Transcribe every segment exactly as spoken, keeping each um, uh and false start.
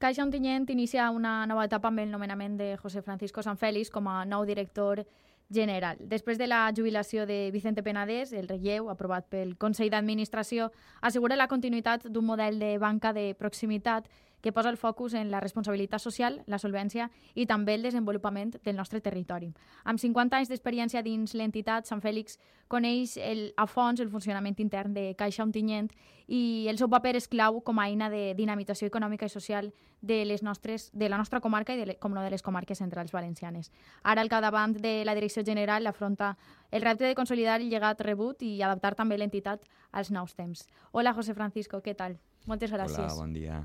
Caixa Ontinyent inicia una nova etapa amb el nomenament de José Francisco Sanfélix com a nou director general. Després de la jubilació de Vicente Penedès, el relleu, aprovat pel Consell d'Administració, assegura la continuïtat d'un model de banca de proximitat que posa el focus en la responsabilitat social, la solvència i també el desenvolupament del nostre territori. Amb cinquanta anys d'experiència dins l'entitat, Sanfélix coneix el, a fons el funcionament intern de Caixa Ontinyent i el seu paper és clau com a eina de dinamització econòmica i social de, les nostres, de la nostra comarca i de, com no de les comarques centrals valencianes. Ara, al capdavant de la direcció general, afronta el repte de consolidar el llegat rebut i adaptar també l'entitat als nous temps. Hola, José Francisco, què tal? Moltes gràcies. Hola, bon dia.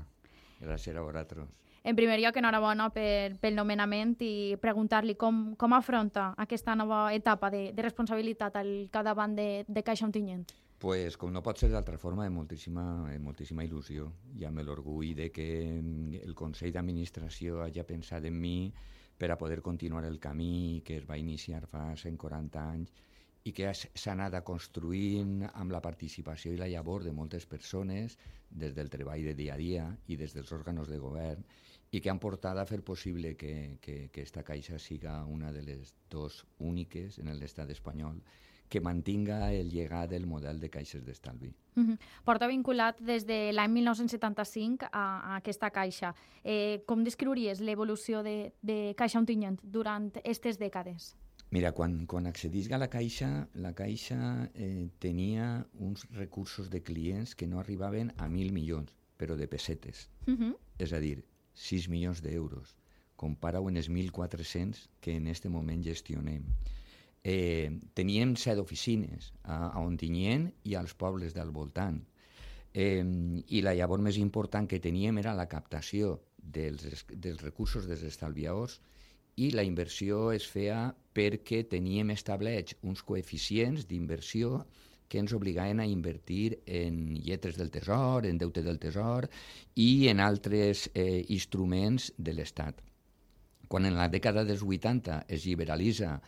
Gràcies a vosaltres. En primer lloc, enhorabona per, pel nomenament i preguntar-li com, com afronta aquesta nova etapa de, de responsabilitat al capdavant de, de Caixa Ontinyent. Pues, com no pot ser d'altra forma, amb moltíssima, amb moltíssima il·lusió i amb l'orgull de que el Consell d'Administració hagi pensat en mi per a poder continuar el camí que es va iniciar fa cent quaranta anys i que s'ha anat construint amb la participació i la llavor de moltes persones des del treball de dia a dia i des dels òrgans de govern i que han portat a fer possible que, que, que esta caixa siga una de les dos úniques en l'estat espanyol que mantinga el llegat del model de caixes d'estalvi. Uh-huh. Porta vinculat des de l'any mil nou-cents setanta-cinc a, a aquesta caixa. Eh, com descriuries l'evolució de, de Caixa Ontinyent durant aquestes dècades? Mira, quan, quan accedisc a la Caixa, la Caixa eh, tenia uns recursos de clients que no arribaven a mil milions, però de pessetes. Uh-huh. És a dir, sis milions d'euros. Compara-ho en els mil quatre-cents que en aquest moment gestionem. Eh, teníem set oficines a, a Ontinyent i als pobles del voltant. Eh, I la llavor més important que teníem era la captació dels, dels recursos dels estalviadors i la inversió es feia perquè teníem establerts uns coeficients d'inversió que ens obligaven a invertir en lletres del tesor, en deute del tesor i en altres eh, instruments de l'Estat. Quan en la dècada dels vuitanta es liberalitza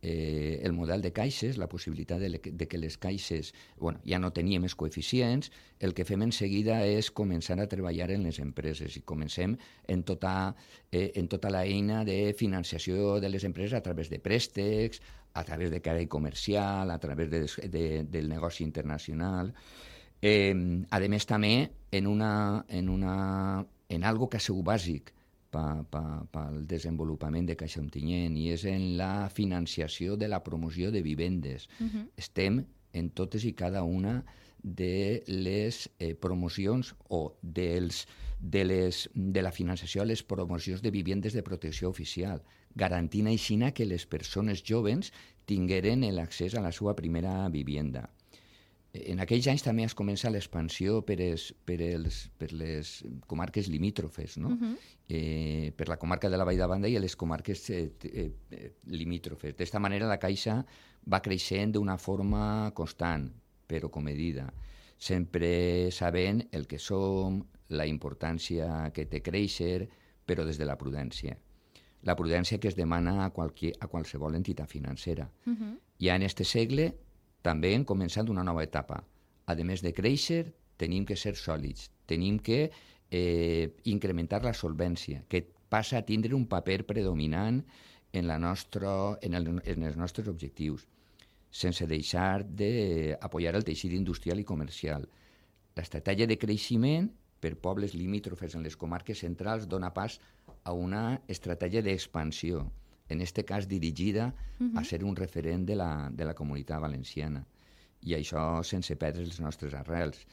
eh, el model de caixes, la possibilitat de, le, de que les caixes bueno, ja no teníem els coeficients, el que fem en seguida és començar a treballar en les empreses i comencem en tota, eh, en tota la eina de financiació de les empreses a través de préstecs, a través de crèdit comercial, a través de, de, del negoci internacional. Eh, a més, també en, una, en, una, en algo que ha sigut bàsic pel pa, pa desenvolupament de Caixa Ontinyent i és en la financiació de la promoció de vivendes. Uh-huh. Estem en totes i cada una de les eh, promocions o dels, de, les, de la financiació a les promocions de vivendes de protecció oficial, garantint així que les persones joves tingueren l'accés a la seva primera vivienda. En aquells anys també es comença l'expansió per, es, per, els, per les comarques limítrofes, no? Uh-huh. eh, per la comarca de la Vall d'Abanda i les comarques eh, eh, limítrofes. D'esta manera la Caixa va creixent d'una forma constant, però comedida, sempre sabent el que som, la importància que té créixer, però des de la prudència. La prudència que es demana a, qualque, a qualsevol entitat financera. Uh-huh. Ja en este segle també hem començat una nova etapa. A més de créixer, tenim que ser sòlids, tenim que eh, incrementar la solvència, que passa a tindre un paper predominant en, la nostra, en, el, en els nostres objectius, sense deixar d'apoyar el teixit industrial i comercial. L'estratègia de creixement per pobles limítrofes en les comarques centrals dona pas a una estratègia d'expansió, en aquest cas dirigida uh-huh. a ser un referent de la, de la comunitat valenciana. I això sense perdre els nostres arrels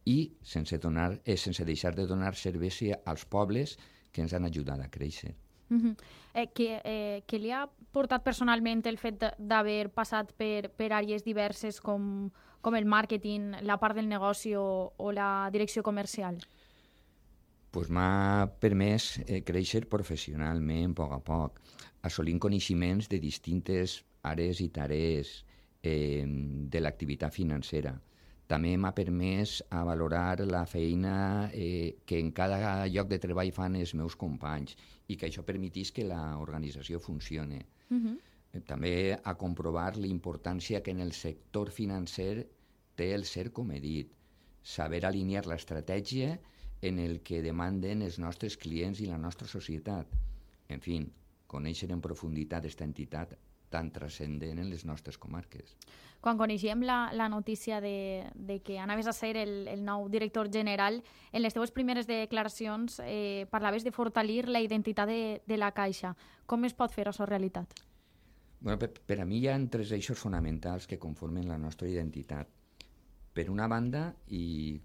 i sense, donar, eh, sense deixar de donar servei als pobles que ens han ajudat a créixer. Uh-huh. Eh, que, eh, que li ha portat personalment el fet d'haver passat per, per àrees diverses com, com el màrqueting, la part del negoci o, o la direcció comercial? Pues m'ha permès eh, créixer professionalment a poc a poc, assolint coneixements de distintes àrees i tarees eh, de l'activitat financera. També m'ha permès a valorar la feina eh, que en cada lloc de treball fan els meus companys i que això permetís que l'organització funcioni. Uh-huh. Eh, també a comprovar la importància que en el sector financer té el ser, com he dit, saber alinear l'estratègia en el que demanden els nostres clients i la nostra societat. En fi, conèixer en profunditat aquesta entitat tan transcendent en les nostres comarques. Quan coneixíem la, la notícia de, de que anaves a ser el, el nou director general, en les teves primeres declaracions eh, parlaves de fortalir la identitat de, de la Caixa. Com es pot fer això realitat? Bueno, per, per a mi hi ha tres eixos fonamentals que conformen la nostra identitat. Per una banda, i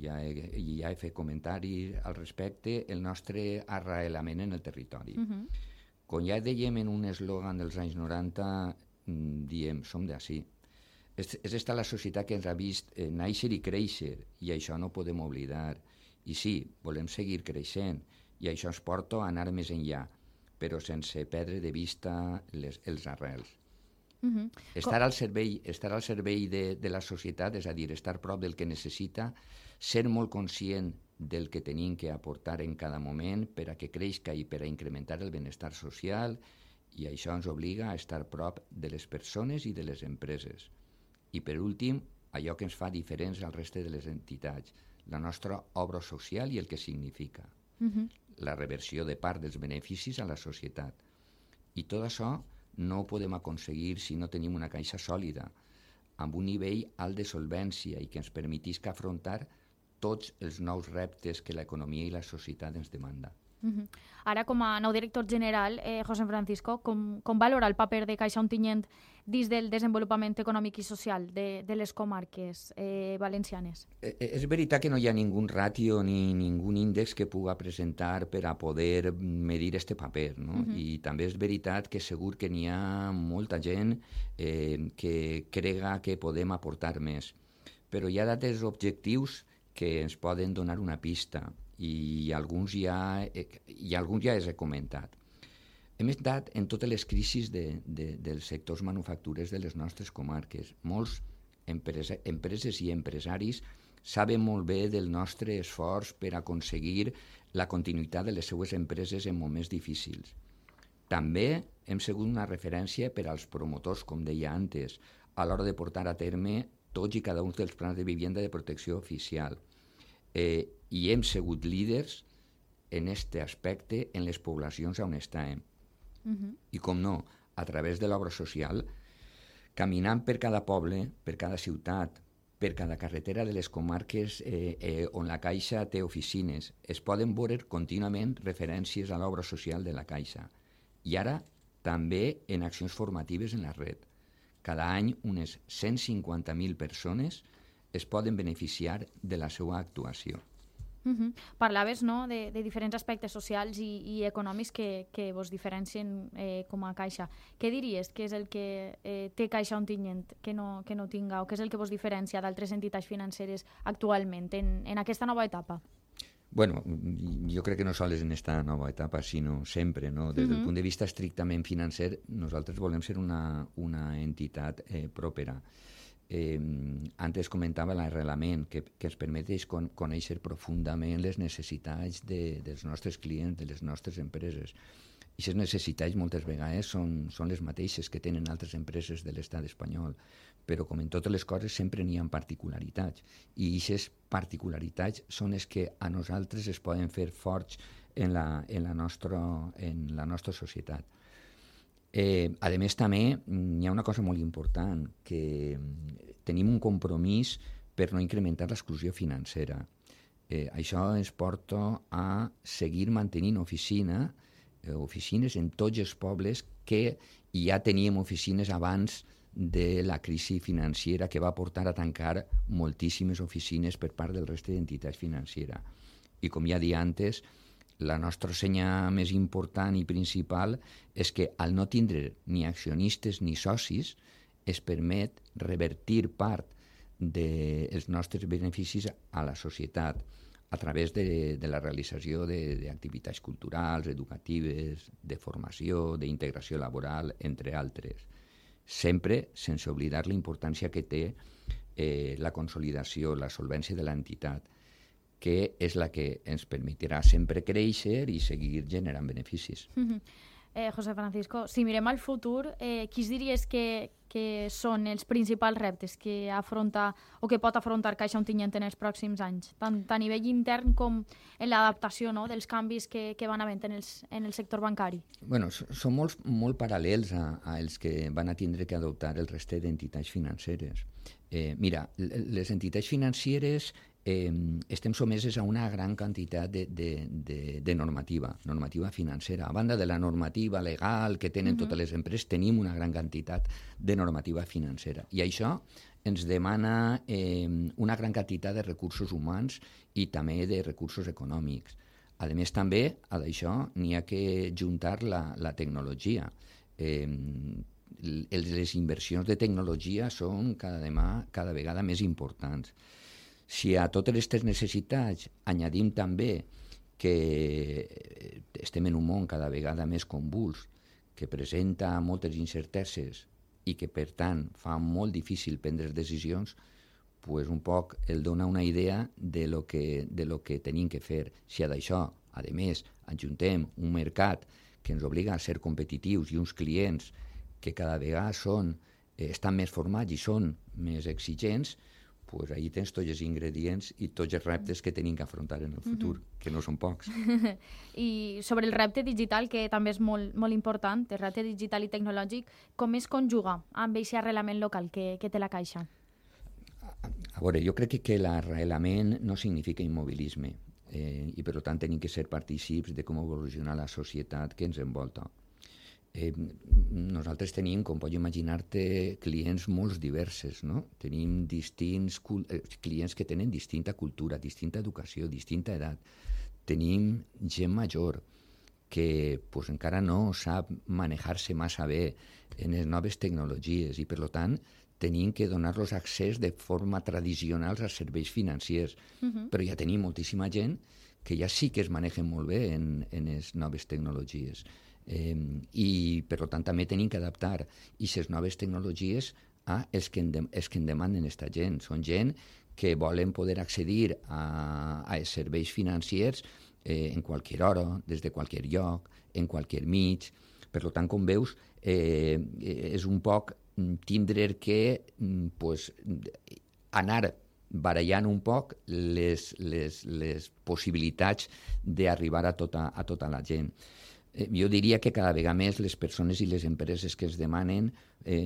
ja he, ja he fet comentaris al respecte, el nostre arrelament en el territori. Uh-huh. Com ja dèiem en un eslògan dels anys noranta, diem, som d'ací. És, és esta la societat que ens ha vist eh, néixer i créixer, i això no podem oblidar. I sí, volem seguir creixent, i això ens porta a anar més enllà, però sense perdre de vista les, els arrels. Uh-huh. Estar al servei, estar al servei de, de la societat, és a dir, estar prop del que necessita, ser molt conscient del que tenim que aportar en cada moment per a que creixca i per a incrementar el benestar social, i això ens obliga a estar prop de les persones i de les empreses. I per últim, allò que ens fa diferents al reste de les entitats, la nostra obra social i el que significa. Uh-huh. La reversió de part dels beneficis a la societat. I tot això no ho podem aconseguir si no tenim una caixa sòlida, amb un nivell alt de solvència i que ens permetisca afrontar tots els nous reptes que l'economia i la societat ens demanda. Uh-huh. Ara, com a nou director general, eh, José Francisco, com, com valora el paper de Caixa Ontinyent dins del desenvolupament econòmic i social de, de les comarques eh, valencianes? Eh, és veritat que no hi ha ningú ràtio ni ningú índex que puga presentar per a poder medir este paper, no? Uh-huh. I també és veritat que segur que n'hi ha molta gent eh, que crega que podem aportar més. Però hi ha dates objectius que ens poden donar una pista, i alguns ja, i alguns ja els he comentat. Hem estat en totes les crisis de, de, dels sectors manufacturers de les nostres comarques. Molts empresa, empreses i empresaris saben molt bé del nostre esforç per aconseguir la continuïtat de les seues empreses en moments difícils. També hem sigut una referència per als promotors, com deia antes, a l'hora de portar a terme tots i cada un dels plans de vivenda de protecció oficial. Eh, i hem sigut líders en aquest aspecte en les poblacions on estàvem. Uh-huh. I com no, a través de l'obra social, caminant per cada poble, per cada ciutat, per cada carretera de les comarques eh, eh, on la Caixa té oficines, es poden veure contínuament referències a l'obra social de la Caixa. I ara també en accions formatives en la red. Cada any unes cent cinquanta mil persones es poden beneficiar de la seva actuació. Uh-huh. Parlaves, no?, de, de diferents aspectes socials i, i econòmics que, que vos diferencien eh, com a Caixa. Què diries que és el que eh, té Caixa Ontinyent que no, que no tinga, o què és el que vos diferencia d'altres entitats financeres actualment en, en aquesta nova etapa? Bueno, jo crec que no sols en aquesta nova etapa, sinó sempre, no? Des del uh-huh. punt de vista estrictament financer, nosaltres volem ser una, una entitat eh, pròpera. Eh, antes comentava l'arrelament que, que ens permet con, conèixer profundament les necessitats de, dels nostres clients, de les nostres empreses. I aquestes necessitats moltes vegades són, són les mateixes que tenen altres empreses de l'estat espanyol, però com en totes les coses sempre n'hi ha particularitats, i aquestes particularitats són les que a nosaltres es poden fer forts en la, en la, nostra, en la nostra societat. Eh, a més, també hi ha una cosa molt important, que tenim un compromís per no incrementar l'exclusió financera. Eh, això ens porta a seguir mantenint oficina, eh, oficines en tots els pobles que ja teníem oficines abans de la crisi financera, que va portar a tancar moltíssimes oficines per part del reste d'entitats financeres. I com ja dia antes, la nostra senya més important i principal és que al no tindre ni accionistes ni socis es permet revertir part dels nostres beneficis a la societat a través de, de la realització d'activitats culturals, educatives, de formació, d'integració laboral, entre altres. Sempre sense oblidar la importància que té eh, la consolidació, la solvència de l'entitat, que és la que ens permetrà sempre créixer i seguir generant beneficis. Mm-hmm. Eh, José Francisco, si mirem al futur, eh, quins diries que, que són els principals reptes que afronta o que pot afrontar Caixa Ontinyent en els pròxims anys, tant a nivell intern com en l'adaptació, no?, dels canvis que, que van havent en, els, en el sector bancari? Bueno, són molt, molt paral·lels a, a els que van a tindre que adoptar el reste d'entitats financeres. Eh, mira, les entitats financeres eh, estem someses a una gran quantitat de, de, de, de normativa, normativa financera. A banda de la normativa legal que tenen uh-huh. totes les empreses, tenim una gran quantitat de normativa financera. I això ens demana eh, una gran quantitat de recursos humans i també de recursos econòmics. A més, també, a d'això, n'hi ha que juntar la, la tecnologia. Eh, les inversions de tecnologia són cada, demà, cada vegada més importants. Si a totes aquestes necessitats añadim també que estem en un món cada vegada més convuls, que presenta moltes incerteses i que, per tant, fa molt difícil prendre decisions, pues un poc el dona una idea de lo que, de lo que tenim que fer. Si a d'això, a més, adjuntem un mercat que ens obliga a ser competitius i uns clients que cada vegada són, eh, estan més formats i són més exigents, pues ahí tens tots els ingredients i tots els reptes que tenim que afrontar en el futur, mm-hmm. que no són pocs. I sobre el repte digital, que també és molt, molt important, el repte digital i tecnològic, com es conjuga amb aquest arrelament local que, que té la Caixa? A, a veure, jo crec que, que l'arrelament no significa immobilisme eh, i per tant tenim que ser partícips de com evoluciona la societat que ens envolta. Eh, nosaltres tenim, com pots imaginar-te, clients molt diversos, no? Tenim distints eh, clients que tenen distinta cultura, distinta educació, distinta edat. Tenim gent major que pues, encara no sap manejar-se massa bé en les noves tecnologies i, per tant, tenim que donar-los accés de forma tradicional als serveis financers. Uh-huh. Però ja tenim moltíssima gent que ja sí que es manegen molt bé en, en les noves tecnologies. Eh, i per tant també tenim que adaptar aquestes noves tecnologies a els que en, de, els que en demanen aquesta gent. Són gent que volen poder accedir a, a els serveis financers eh, en qualsevol hora, des de qualsevol lloc, en qualsevol mig. Per tant, com veus, eh, és un poc tindre que pues, anar barallant un poc les, les, les possibilitats d'arribar a tota, a tota la gent. Jo diria que cada vegada més les persones i les empreses que es demanen eh,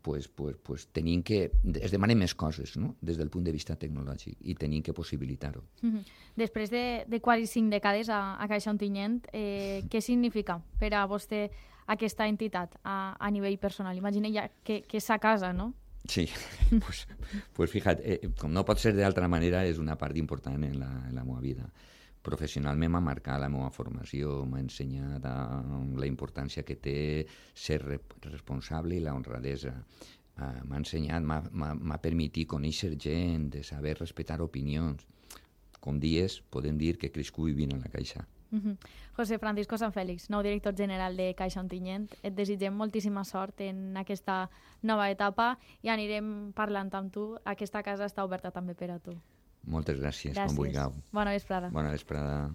pues, pues, pues, tenim que, es demanen més coses, no?, des del punt de vista tecnològic i tenim que possibilitar-ho. Mm-hmm. Després de, de quasi cinc dècades a, a Caixa Ontinyent, eh, què significa per a vostè aquesta entitat a, a nivell personal? Imagina ja que, que és a casa, no? Sí, pues, pues fíjate, eh, com no pot ser d'altra manera, és una part important en la, en la meva vida. Professionalment m'ha marcat la meva formació, m'ha ensenyat la importància que té ser responsable i la honradesa. Uh, m'ha ensenyat, m'ha permitit conèixer gent, de saber respectar opinions. Com dies, podem dir que he crescut vivint a la Caixa. Mm-hmm. José Francisco Sanfélix, nou director general de Caixa Ontinyent, et desitgem moltíssima sort en aquesta nova etapa i anirem parlant amb tu. Aquesta casa està oberta també per a tu. Moltes gràcies, gràcies. Com vulgueu. Bona vesprada. Bona vesprada.